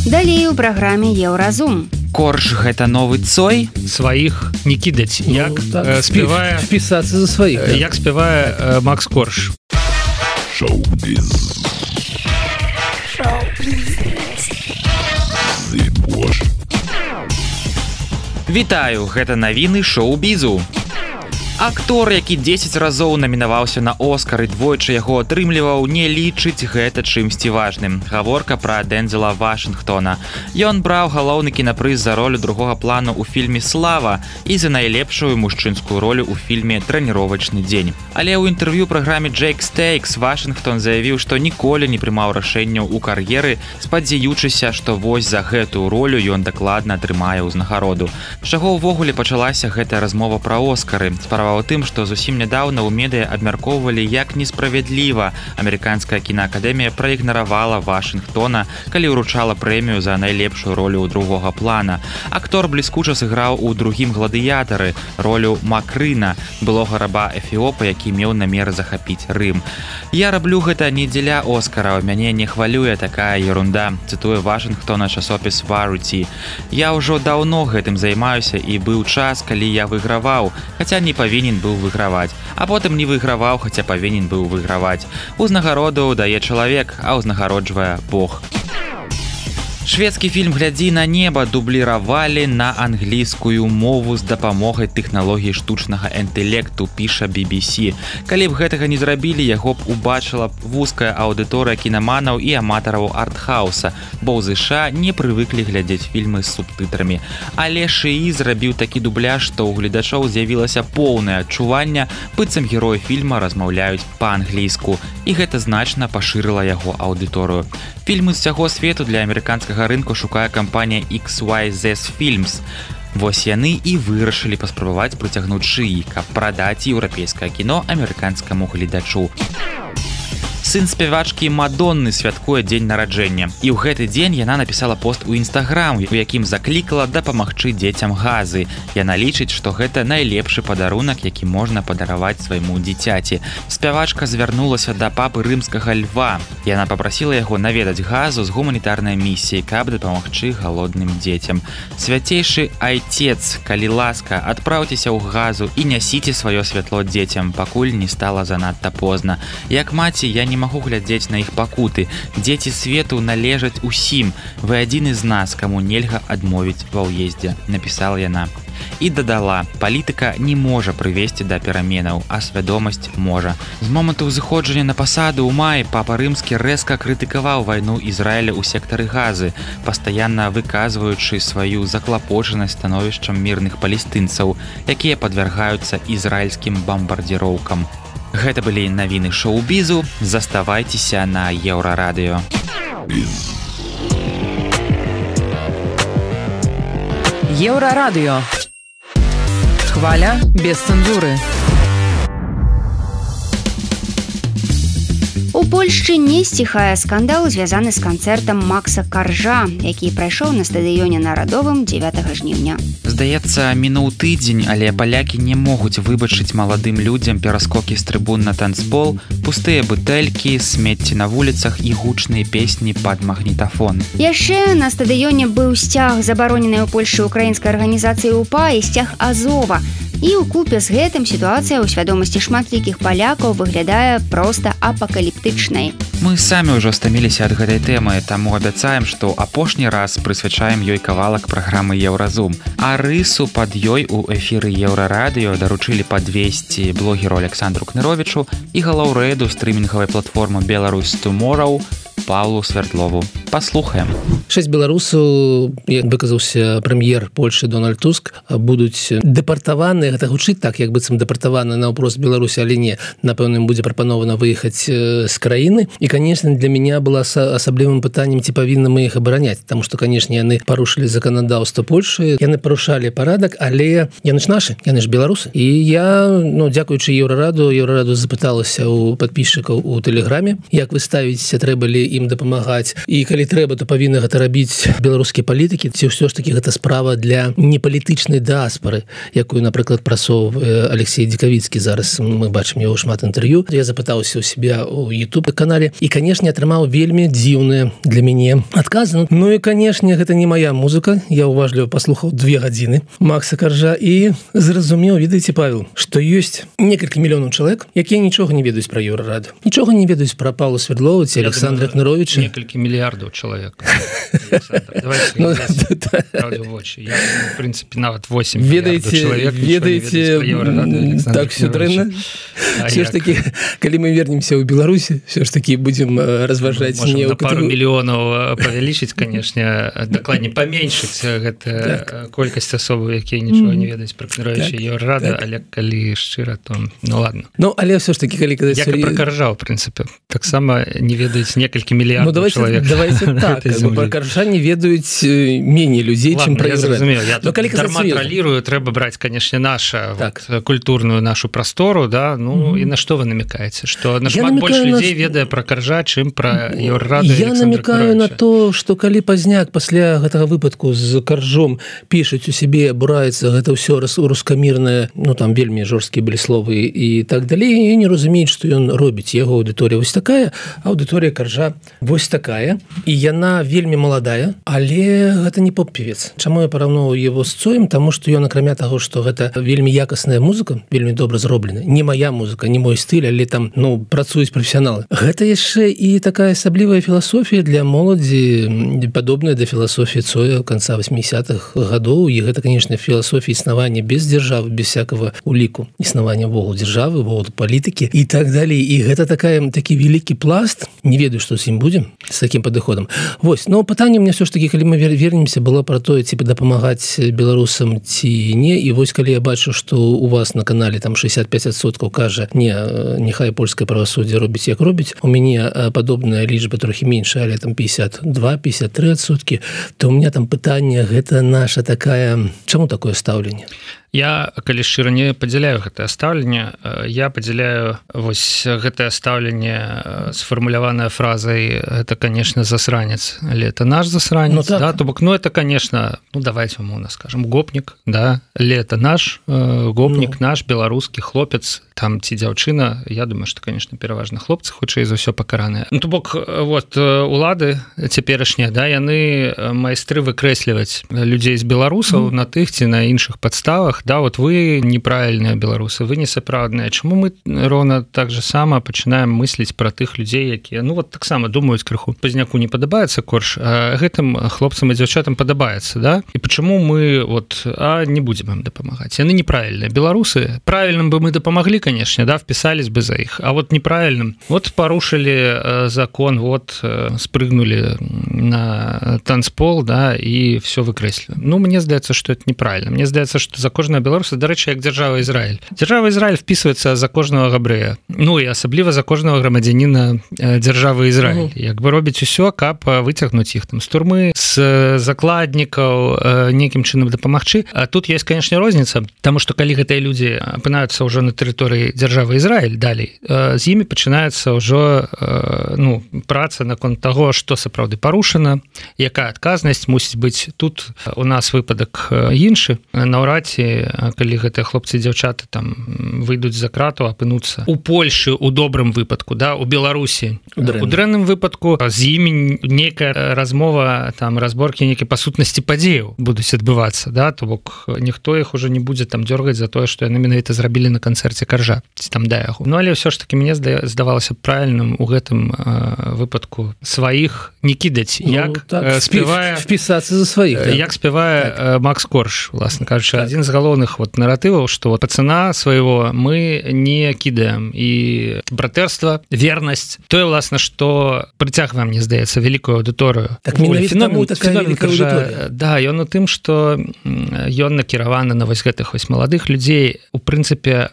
Далей у праграме Еўразум. Корж гэта новы цой, сваіх не кідаць. Ну, як так, э, спявае впісацца за сваіх. Э, як спявае э, Макс Корж. Шоу-біз. Шоу-біз. Зыбош. Вітаю, гэта навіны шоу-бізу. Актор, які дзесяць разоў намінаваўся на Оскар і двойчы яго атрымліваў, не лічыць гэта чымсьці важным. Гаворка пра Дэнзела Вашынгтона. Ён браў галоўны кінапрыз за ролю другога плану ў фільме «Слава» і за найлепшую мужчынскую ролю ў фільме «Трэніровачны дзень». Але ў інтэрв'ю праграме «Джейк Стейкс» Вашынгтон заявіў, што ніколі не прымаў рашэнняў у кар'еры, спадзяючыся, што вось за гэтую ролю ён дакладна атрымае ўзнагароду. З чаго ўвогуле пачалася гэтая размова пра Оскары? Справа ў тым, што зусім нядаўна ў медыа абмяркоўвалі, як несправядліва амерыканская кінаакадэмія праігнаравала Вашынгтона, калі ўручала прэмію за найлепшую ролю ў другога плана. Актор бліскуча сыграў у другім гладыятары ролю Макрына, былога раба Эфіопа, які меў намер захапіць Рым. Я раблю гэта не дзеля Оскараў, мяне не хвалюе такая ерунда, цытуе Вашынгтона часопіс Variety. Я ўжо даўно гэтым займаюся і быў час, калі я выйграваў, хаця не павінен павінен быў выйграваць, а потым не выйграваў, хаця павінен быў выйграваць. Узнагароду дае чалавек, а ўзнагароджвае Бог. Шведскі фільм «Глядзі на неба» дубліравалі на англійскую мову з дапамогай тэхналогіі штучнага інтэлекту, піша би би сі. Калі б гэтага не зрабілі, яго б убачыла вузкая аўдыторыя кінаманаў і аматараў артхауса, бо ў ЗША не прывыклі глядзець фільмы з субтытрамі. Але Шыі зрабіў такі дубляж, што ў гледачоў з'явілася поўнае адчуванне, быццам героі фільма размаўляюць па-англійску, і гэта значна пашырыла яго аўдыторыю. Фільмы з усяго свету для амерыканскага рынку шукае кампанія ікс уай зет Films. Вось яны і вырашылі паспрабаваць прыцягнуць Шыі, каб прадаць еўрапейскае кіно амерыканскаму гледачу. Сын спявачкі Мадонны святкуе дзень нараджэння. І ў гэты дзень яна напісала пост у Інстаграм, у якім заклікала дапамагчы дзецям газы. Яна лічыць, што гэта найлепшы падарунак, які можна падараваць свайму дзіцяці. Спявачка звярнулася да папы рымскага Льва. Яна папрасіла яго наведаць газу з гуманітарнай місіяй, каб дапамагчы галодным дзецям. Свяцейшы айцец, калі ласка, адпраўцеся ў газу і нясіце сваё святло дзецям, пакуль не стала занадта позна. Як маці, я не магу глядзець на іх пакуты. Дзеці свету належаць усім. Вы адзін з нас, каму нельга адмовіць ва ўездзе, напісала яна. І дадала, палітыка не можа прывесці да пераменаў, а свядомасць можа. З моманту ўзыходжання на пасаду ў маі папа рымскі рэзка крытыкаваў вайну Ізраіля ў сектары газы, пастаянна выказваючы сваю заклапочанасць становішчам мірных палестынцаў, якія падвяргаюцца ізраільскім бамбардзіроўкам. Гэта былі навіны шоу-бізу. Заставайцеся на Еўрарадыё. Еўрарадыё. Хваля без цэнзуры. У Польшчы не сціхае скандал, звязаны з канцэртам Макса Каржа, які прайшоў на стадыёне Нарадовым дзевятага жніўня. Здаецца, мінуў тыдзень, але палякі не могуць выбачыць маладым людзям пераскокі з трыбун на танцпол, пустыя бутэлькі, смецці на вуліцах і гучныя песні пад магнітафон. Яшчэ на стадыёне быў сцяг забароненай у Польшчы украінскай арганізацыі УПА і сцяг Азова. І ў купе з гэтым сітуацыя ў свядомасці шматлікіх палякаў выглядае проста апакаліптычнай. Мы самі ўжо стаміліся ад гэтай тэмы, таму абяцаем, што апошні раз прысвячаем ёй кавалак праграмы Еўразум. А рысу пад ёй у эфіры Еўрарадыё даручылі падвесці блогеру Александру Кныровічу і галаўрэду стрымінгавай платформы Беларусь Tomorrow Павлу Свердлову. Паслухаем. Шэсць беларусаў, як выказаўся прэм'ер Польшы Дональд Туск, будуць дэпартаваны. Гэта гучыць так, як быццам дэпартаваны наўпрост Беларусі, але не. Напэўна, ім будзе прапанована выехаць з краіны. І, конечно, для меня было асаблівым пытаннем, ці павінны мы іх абараняць, таму што, конечно, яны парушылі заканадаўства Польшы, яны парушалі парадак, але яны ж нашы, яны ж беларусы. І я, ну, дзякуючы Еўрараду, Еўрараду запыталася у падпісчыкаў у тэлеграме, як вы ставіце, трэба ли ім дапамагаць, і калі трэба, то павінны гэта рабіць беларускія палітыкі, ці ўсё ж такі гэта справа для непалітычнай дыаспары, якую, напрыклад, прасоўвае Алексей Дзекавіцкі. Зараз мы бачым яго шмат інтэрв'ю. Я запытаўся ў себя у YouTube-канале і, канешне, атрымаў вельмі дзіўныя для мяне адказы. Ну і, канешне, гэта не моя музыка. Я уважліва паслухаў две гадзіны Макса Каржа і зразумеў, ведаеце, Павел, што ёсць некалькі мільёнаў чалавек, якія нічога не ведаюць пра Еўрараду. Нічога не ведаюць пра Павла Свердлова ці Александра Кныровича. Некалькі мільярдаў чалавек. Давайте ну, правду в очі. Я, в принципе, нават восемь мільярдаў чалавек ведаеце, так все дрэнна. Все ж таки, калі мы вернемся ў Беларусі, все ж таки будем разважаць не ў пару мільёнаў павялічыць, конечно, дакладней паменшыць гэта колькасць асобаў, якія нічога не ведаюць пра Кныровіча і Еўрарада, але калі шчыра, то ну ладно. Ну, але все ж таки, калі казаць як і пра Каржа, в принципе, таксама не ведаюць некалькі мільярдаў ну, чалавек. Давайте так, пра Каржа не ведаюць меней людзей, чым пра Еўрарада. Я тут дарма тралірую, трэба браць, конечно, наша так. вот, культурную нашу прастору, да, ну mm-hmm. і на што вы намекаеце, што нашмат больш людзей на... ведае пра Каржа, чым пра Еўрараду. Я намекаю на то, што калі пазняк пасля гэтага выпадку з Каржом пішуць у сябе, абураецца гэта ўсё рускамірнае, ну там вельмі жорсткія былі словы і так далей, і не разумеюць, што ён робіць. Яго аўдыторыя вось такая, аўдыторыя Каржа вось такая. і яна вельмі маладая, але гэта не поп-певец. Чаму я параўноўваю его з Цоем? Таму што ён, акрамя таго, што гэта вельмі якасная музыка, вельмі добра зроблена, не моя музыка, не мой стыль, але там, ну, працуюць прафесіяналы. Гэта яшчэ і такая асаблівая філасофія для моладзі, падобная да філасофіі Цоя канца восьмидесятых гадоў, і гэта, конечно, філасофія існавання без дзяржавы, без всякого уліку існавання вогул дзяржавы, вогул палітыкі і так далей. І гэта такая, такі вялікі пласт, не ведаю, што з ім будзем, з такім падыходам. Вось, но пытанне мне все ж таки, калі мы вернемся, было про тое, ці дапамагаць беларусам ці не, і вось калі я бачу, што у вас на канале там шестьдесят пять процентов кажа, не, няхай польскае правасуддзе робіць як робіць, у мяне падобная лічба трохі меншая, але там пятьдесят два пятьдесят три процента, то у меня там пытанне, гэта наша такая, чаму такое стаўленне? Я, калі шчыра, не падзяляю гэтае стаўленне, я падзяляю вось гэтае стаўленне сфармуляванае фразай, это, конечно, засранец, але это наш засранец, ну, так. Да, то бок, ну, это, конечно, ну, давайте умоўна скажем, гопнік, да, але это наш э, гопнік, ну. Наш беларускі хлопец, там ці дзяўчына, я думаю, што, конечно, пераважна хлопцы, хутчэй за ўсё пакараныя. Ну, то бок, вот, улады цяперашнія, да, яны майстры выкрэсліваць людзей з беларусаў mm. на тых ці на іншых падставах, да, вот вы неправильныя беларусы, вы несапраўдныя. Чаму мы роўна так же сама пачынаем мысліць пра тых людзей, якія, ну, вот таксама думаюць крыху, Пазняку не падабаецца корж, а гэтым хлопцам і дзяўчатам падабаецца, да? І пачаму мы, вот, а не будзем ім дапамагаць? Яны неправільныя. Беларусы, правільным бы мы дапамаглі, конечно, да, вписались бы за іх, а вот неправильным. Вот порушили закон, вот спрыгнули на танцпол, да, и все выкрэслили. Ну, мне здаецца, что это неправильно. Мне здаецца, что за кожного беларуса, дарэчы, як дзяржава Ізраіль. Дзяржава Ізраіль вписывается за кожного габрэя. Ну, і асабліва за кожного грамадзяніна дзяржавы Ізраіль. Як бы робіць усё, каб выцягнуць іх там з турмы, з закладнікаў, некім чынам дапамагчы. А тут есть, конечно, розніца, таму што калі гэтыя людзі апынаюцца ўжо на тэрыторыі дзяржавы Ізраіль далей, з імі пачынаецца ўжо, ну, праца наконт таго, што сапраўды парушана, якая адказнасць мусіць быць. Тут у нас выпадак іншы. Наўрад ці, калі гэтыя хлопцы і дзяўчаты там выйдуць за крату, апынуцца у Польшы у добрым выпадку, да, у Беларусі у дрэнным выпадку, з імі нейкая размова, там, разборкі нейкай па сутнасці падзеяў будуць адбывацца, да, то бок ніхто іх ужо не будзе там дзёргаць за тое, што яны менавіта зрабілі на канцэрце Каржа, ці там да яго. Ну, але ўсё ж таки мне здавалася правільным у гэтым э, выпадку сваіх не кідаць, ну, як так, спявае впісацца за сваіх, да? Як спявае так. э, Макс Корж, власна кажучы, так. Адзін з галоўных вот наратываў, што вот пацана свайго мы не кідаем, і братэрства, вернасць, тое, власна, што прыцягвае, мне здаецца, вялікую аўдыторыю. Так менавіта таму такая вялікая аўдыторыя. Да, ён у тым, што ён накіраваны на вось гэтых вось маладых людзей. У прынцыпе,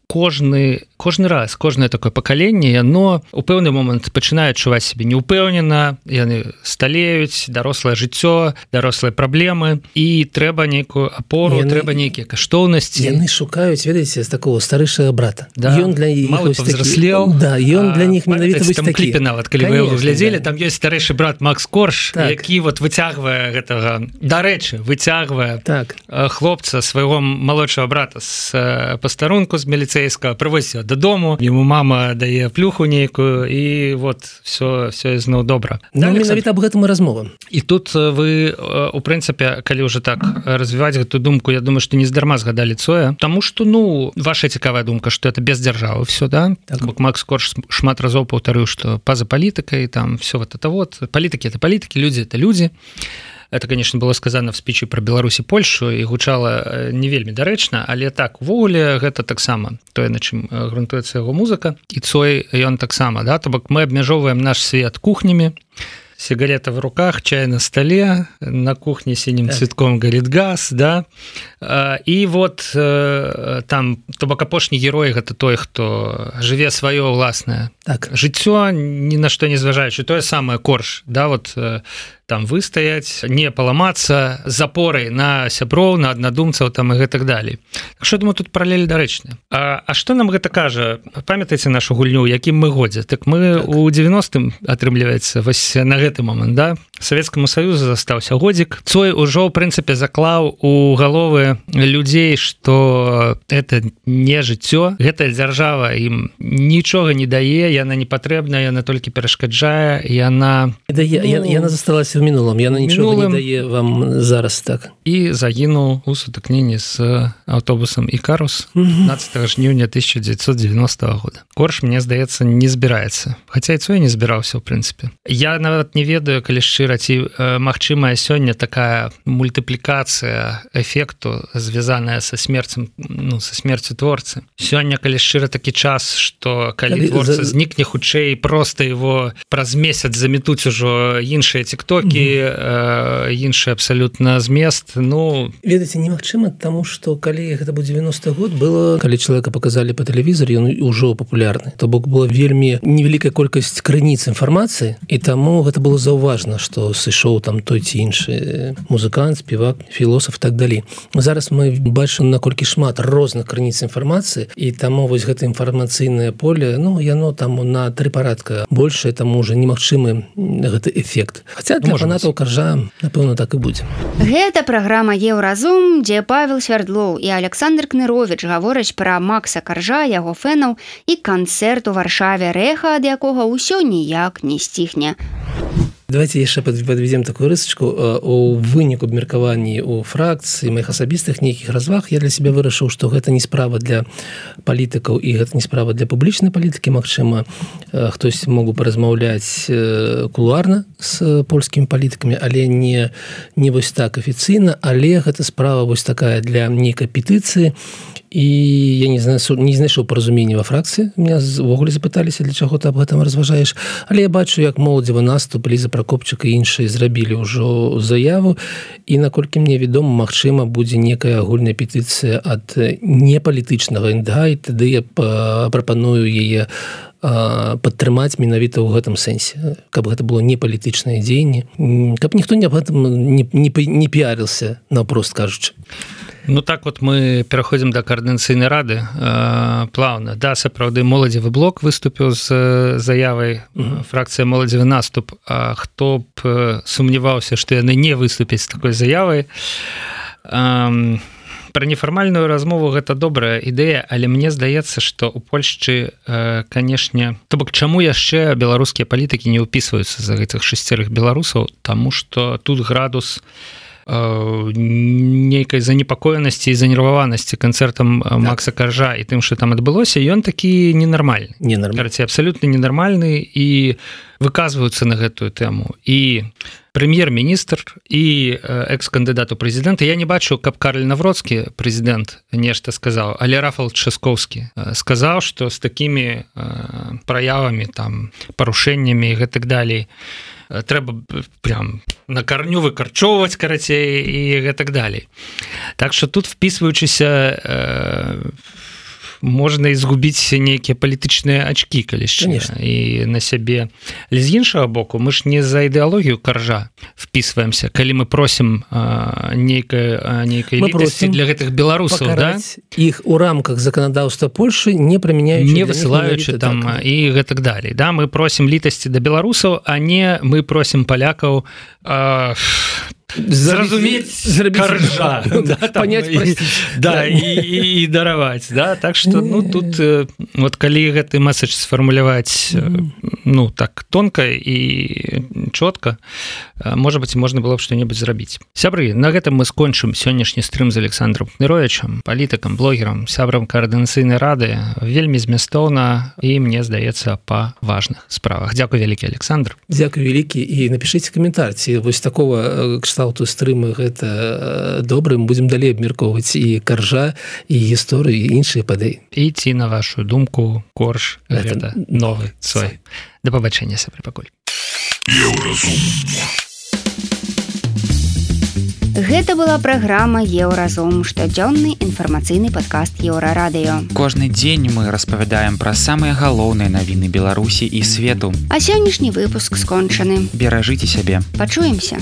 кожны кожны раз кожнае такое пакаленне, яно у пэўны момант пачынае адчуваць сябе неўпэўнена, яны сталеюць, дарослае жыццё, дарослыя праблемы, і трэба нейкую апору, яны, трэба нейкія каштоўнасці. Яны шукаюць, ведаеце, з такого старэйшага брата. Да, ён для іх малы павзраслеў. Да, ён для них менавіта вось такі. Кліпе нават, калі вы яго глядзелі, там ёсць старэйшы брат Макс Корж, так. Які вот выцягвае гэтага, дарэчы, выцягвае так. Хлопца, свайго малодшага брата з пастарунку з міліцэйскага, прывозіць дадому, яму мама дае плюху нейкую, і вот все, все ізноў добра. Ну, менавіта аб гэтым і размова. І тут вы, у прынцыпе, калі ўжо так развіваць гэту думку, я думаю, што не здарма згадалі Цоя, таму што, ну, ваша цікавая думка, што это без дзяржавы все, да? Так. Бок Макс Корж шмат разоў паўтарыў, што па-за палітыкай, там, все вот это вот. Палітыкі — это палітыкі, людзі — это людзі. Это, конечно, было сказано в спічы про Беларусь і Польшу і гучала не вельмі дарэчна, але так, увогуле гэта таксама тое, на чым грунтуецца яго музыка. І Цой, ён таксама, да, то бок мы абмяжоўваем наш свет кухнямі, сигарета в руках, чай на столе, на кухне синим так. Цветком горит газ, да, и вот там, то бок апошні герой, гэта той, хто жыве сваё ўласнае так. Жыццё, ні на што не зважаючы, тое самае Корж, да, вот там выстаяць, не паламацца з апорай на сяброў, на аднадумцаў там і гэтак далей. Так што, думаю, тут паралель дарэчная. А, а што нам гэта кажа? Памятаеце нашу гульню, якім мы годзе? Так мы так. у девяностым атрымліваецца вось на гэты момант, да? Савецкаму Саюзу застаўся годзік. Цой ужо, ў прынцыпе, заклаў у галовы людзей, што это не жыццё, гэтая дзяржава ім нічога не дае, яна не патрэбная, яна толькі перашкаджае, яна... Дае, ну, яна засталася в мінулым, яна нічога мінулым. Не дае вам зараз так. І загінуў у сутыкненні з аўтобусам Ікарус пятнадцатого жніўня тысяча девятьсот девяностого года. Корж, мне здаецца, не збіраецца. Хаця і Цой не збіраўся, ў прынцыпе. Я нават не ведаю, калі шчыра, ці э, магчымая сёння такая мультыплікацыя эфекту, звязаная са смерцем, ну, са смерцю творцы. Сёння, калі шчыра, такі час, што калі творца знікне хутчэй, проста его праз месяц заметуць ужо іншыя тиктокі, э, іншы абсалютна змест. Ну, ведаеце, немагчыма, таму што калі гэта быў девяностый год, было, калі чалавека показалі па тэлевізоры, ён ужо папулярны. То бок была вельмі невялікая колькасць крыніц інфармацыі, і таму гэта было заўважна, што сышоў там той ці іншы музыкант, спевак, філосаф, так далей. Зараз мы бачым, наколькі шмат розных крыніц інфармацыі, і таму вось гэта інфармацыйнае поле, ну, яно там на тры парадка большае, таму уже немагчымы гэты эфект. Хаця для фанатаў Каржа, напэўна, так і будзе. Гэта праграма «Еўразум», дзе Павел Свярдлоў і Александр Кныровіч гавораць пра Макса Каржа, яго фэнаў і канцэрт у Варшаве, рэха ад якога ўсё ніяк не сціхне. Давайте яшчэ подведем такую рысачку. У выніку абмеркаванні у фракцыі, маіх асабістых нейкіх разваг, я для себя вырашыў, што гэта не справа для палітыкаў і гэта не справа для публічнай палітыкі. Магчыма, хтось могу паразмаўляць кулуарна з польскімі палітыкамі, але не, не вось так афіцыйна, але гэта справа вось такая для нейкай петыцыі. І я не знаю, не знайшоў паразумення ва фракцыі. Меня ввогуле запыталіся, для чаго ты аб гэтым разважаеш. Але я бачу, як моладзевы наступ, Ліза Пракопчык і іншыя зрабілі ўжо заяву. І наколькі мне вядома, магчыма, будзе некая агульная петыцыя ад непалітычнага эн дэ га, і тады я прапаную яе падтрымаць менавіта ў гэтым сэнсе, каб гэта было не палітычнае дзеянне, каб ніхто не аб гэтым не, не, не піарыўся, наўпрост кажучы. Ну так вот мы пераходзім да каардынацыйнай рады э, плаўна. Да, сапраўды моладзевы блок выступіў з заявай, mm-hmm. фракцыя моладзевы наступ. А хто б сумняваўся, што яны не выступяць з такой заявай. Э, Пра нефармальную размову гэта добрая ідэя, але мне здаецца, што ў Польшчы, э, канешне, то бок чаму яшчэ беларускія палітыкі не ўпісваюцца за гэтых шасцярых беларусаў, таму што тут градус нейкай занепакоенасці і занерваванасці канцэртам так. Макса Каржа і тым, што там адбылося, ён такі ненармальны. Ненармальны. Абсалютна ненармальны, і выказваюцца на гэтую тэму. І прэм'ер-міністр, і экс-кандыдат у прэзідэнты. Я не бачу, каб Карл Навроцкі, прэзідэнт, нешта сказаў, але Рафал Часкоўскі сказаў, што з такімі праявамі, там, парушэннямі і гэтак далей трэба прям на карню выкарчоўваць, карацей, і гэтак далей. Так што тут, впісваючыся, э, можна і згубіць нейкія палітычныя ачкі, калі шчыра, і на сябе. Але з іншага боку, мы ж не за ідэалогію Каржа впісваемся, калі мы просім э, нейкай, нейкай літасці для гэтых беларусаў, да? Іх у рамках заканадаўства Польшы, не прымяняючы, не высылаючы там так. І гэтак далей. Да? Мы просім літасці да беларусаў, а не мы просім палякаў э, зразумець Каржа, да, понять, і, да, і, і, і дараваць, да? Так што, ну, тут вот калі гэты месседж сфармуляваць, ну, так тонка і чётка, можа быць, можна было б што-небудзь зрабіць. Сябры, на гэтым мы скончым сённяшні стрым з Александром Кныровічам, палітыкам, блогерам, сябрам каардынацыйнай рады. Вельмі змястоўна і, мне здаецца, па важных справах. Дзякуй вялікі, Александр. Дзякуй вялікі, і напішыце каментар, ці вось такого кшталту стрымы гэта добра, мы будзем далей абмяркоўваць і Каржа, і гісторыю, і іншыя падзеі. І ці, на вашу думку, Корж гэта новы Цой. Да пабачэння, сябры, пакуль. Гэта была праграма Еўразум, штодзённы інфармацыйны падкаст Еўрарадыё. Кожны дзень мы распавядаем пра самыя галоўныя навіны Беларусі і свету. А сённяшні выпуск скончаны. Беражыце сябе. Пачуемся.